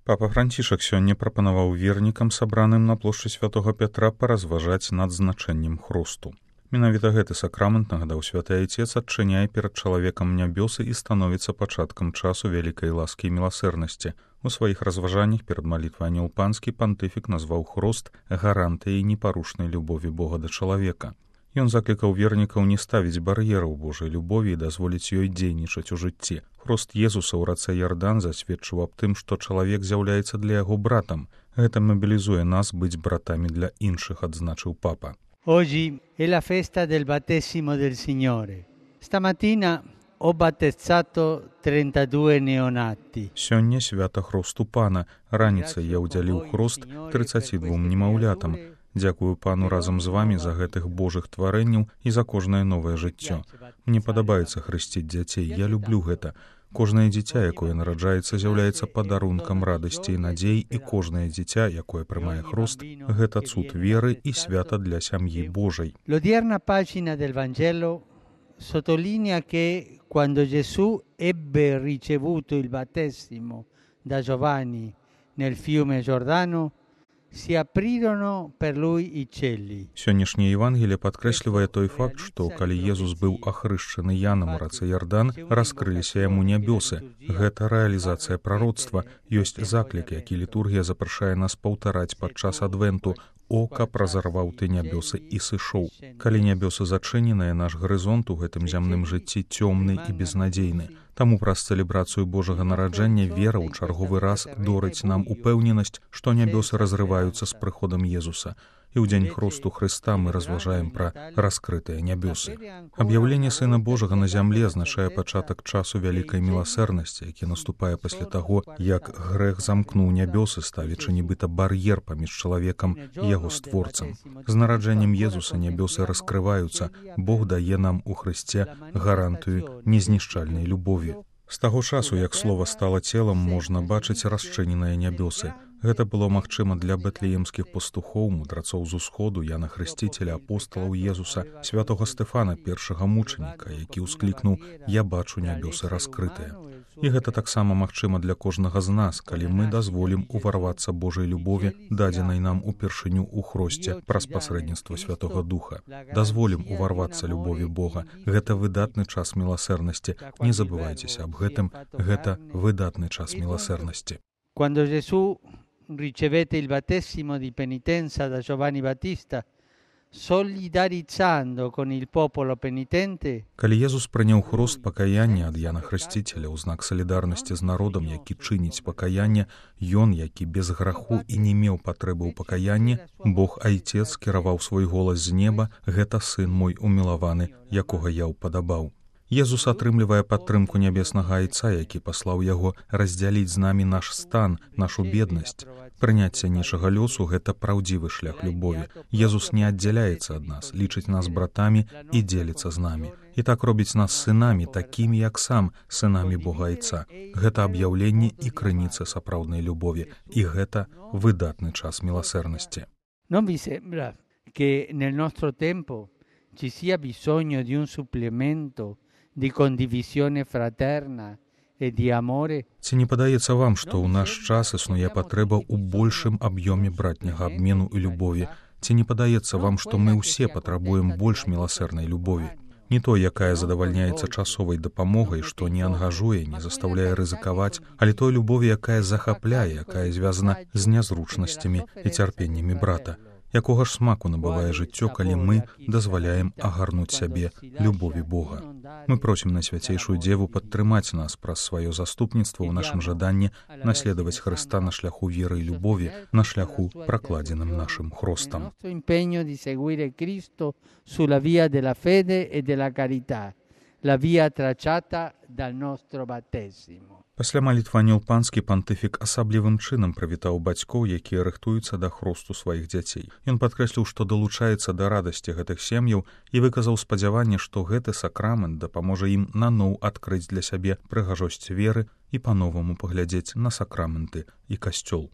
Папа Францішак сёння прапанаваў вернікам, сабраным на плошчы Святога Пятра, паразважаць над значэннем хрусту. Менавіта гэты сакрамент, нагадаў святы Айцец, адчыняе перад чалавекам нябёсы і становіцца пачаткам часу вялікай ласкі і міласэрнасці. У сваіх разважаннях перад малітвай Анёл Панскі пантыфік назваў хруст гарантыяй непарушнай любові Бога да чалавека. Ён заклікаў вернікаў не ставіць бар'ераў Божай любові і дазволіць ёй дзейнічаць у жыцці. Хруст Езуса ў рацэ Ярдан засведчыў аб тым, што чалавек з'яўляецца для яго братам. Гэта мабілізуе нас быць братамі для іншых, адзначыў папа. Oggi è la festa del battesimo del Signore. Stamattina ho battezzato 32 neonati. Сёння свята хрусту Пана. Раніцай я ўдзяліў хруст 32 немаўлятам. Дзякую Пану разам з вамі за гэтых Божых тварэнняў і за кожнае новае жыццё. Мне падабаецца хрысціць дзяцей, я люблю гэта. Кожнае дзіця, якое нараджаецца, з'яўляецца падарункам радасці і надзей, і кожнае дзіця, якое прымае хруст, гэта цуд веры і свята для сям'і Божай. L'odierna pagina del Vangelo sottolinea che quando Gesù ebbe ricevuto il battesimo da Giovanni nel fiume Giordano, si aprirono per lui i cieli. Сённяшняе Евангелие падкрэслівае той факт, што калі Езус быў ахрышчаны Янам у рацэ Ярдан, раскрыліся яму нябёсы. Гэта рэалізацыя прароцтва, ёсць заклік, які літургія запрашае нас паўтараць падчас адвенту. Ока празарваў ты нябёсы і сышоў. Калі нябёсы зачыненыя, наш гарызонт у гэтым зямным жыцці цёмны і безнадзейны. Таму праз цэлебрацыю Божага нараджэння вера ў чарговы раз дорыць нам упэўненасць, што нябёсы разрываюцца з прыходам Езуса. І ў дзень хрусту Хрыста мы разважаем пра раскрытыя нябёсы. Аб'яўленне Сына Божага на зямле азначае пачатак часу вялікай міласэрнасці, які наступае пасля таго, як грэх замкнуў нябёсы, ставячы нібыта бар'ер паміж чалавекам і яго створцам. З нараджэннем Езуса нябёсы раскрываюцца, Бог дае нам у Хрысце гарантыю незнішчальнай любові. З таго часу, як слова стала целам, можна бачыць расчыненыя нябёсы. Гэта было магчыма для бэтлеемскіх пастухоў, мудрацоў з усходу, Яна Хрысціцеля, апосталаў Езуса, святога Стэфана, першага мучаніка, які ўсклікнуў «Я бачу нябёсы раскрытыя». І гэта таксама магчыма для кожнага з нас, калі мы дазволім уварвацца Божай любові, дадзенай нам упершыню ў хросце праз пасрэдніцтва Святога Духа. Дазволім уварвацца любові Бога. Гэта выдатны час міласэрнасці. Не забывайцеся аб гэтым. Гэта выдатны час міласэрнасці. Quando Gesù ricevette il battesimo di penitenza da Giovanni Battista, solidarizzando con il popolo penitente. Калі Езус прыняў хруст пакаяння ад Яна Хрысціцеля ў знак салідарнасці з народам, які чыніць пакаянне, ён, які без граху і не меў патрэбы ў пакаянні, Бог Айцец кіраваў свой голас з неба: «Гэта сын мой умілаваны, якога я ўпадабаў». Езус атрымлівае падтрымку нябеснага Айца, які паслаў яго раздзяліць з намі наш стан, нашу беднасць. Прыняцце нечага лёсу – гэта праўдзівы шлях любові. Езус не аддзяляецца ад нас, лічыць нас братамі і дзеліцца з намі. І так робіць нас сынамі, такімі, як сам, сынамі Бога Айца. Гэта аб'яўленне і крыніца сапраўднай любові. І гэта выдатны час міласэрнасці. Non vi sembra che nel nostro tempo ci sia bisogno di un supplemento di condivisione fraterna e di amore? Ці не падаецца вам, што ў наш час існуе патрэба ў большым аб'ёме братняга абмену і любові? Ці не падаецца вам, што мы ўсе патрабуем больш міласэрнай любові? Не той, якая задавальняецца часовай дапамогай, што не ангажуе, не застаўляе рызыкаваць, але той любові, якая захапляе, якая звязана з нязручнасцямі і цярпеннямі брата. Якога ж смаку набывае жыццё, калі мы дазваляем агарнуць сябе любові Бога. Мы просім на свяцейшую Дзеву падтрымаць нас праз сваё заступніцтва ў нашым жаданні наследаваць Хрыста на шляху веры і любові, на шляху, пракладзеным нашым хрустам. La via tracciata dal nostro battesimo. Пасля малітвы Анёл Панскі пантыфік асаблівым чынам прывітаў бацькоў, якія рыхтуюцца да хрусту сваіх дзяцей. Ён падкрэсліў, што далучаецца да радасці гэтых сем'яў і выказаў спадзяванне, што гэты сакрамент дапаможа ім наноў адкрыць для сябе прыгажосць веры і па-новаму паглядзець на сакраменты і касцёл.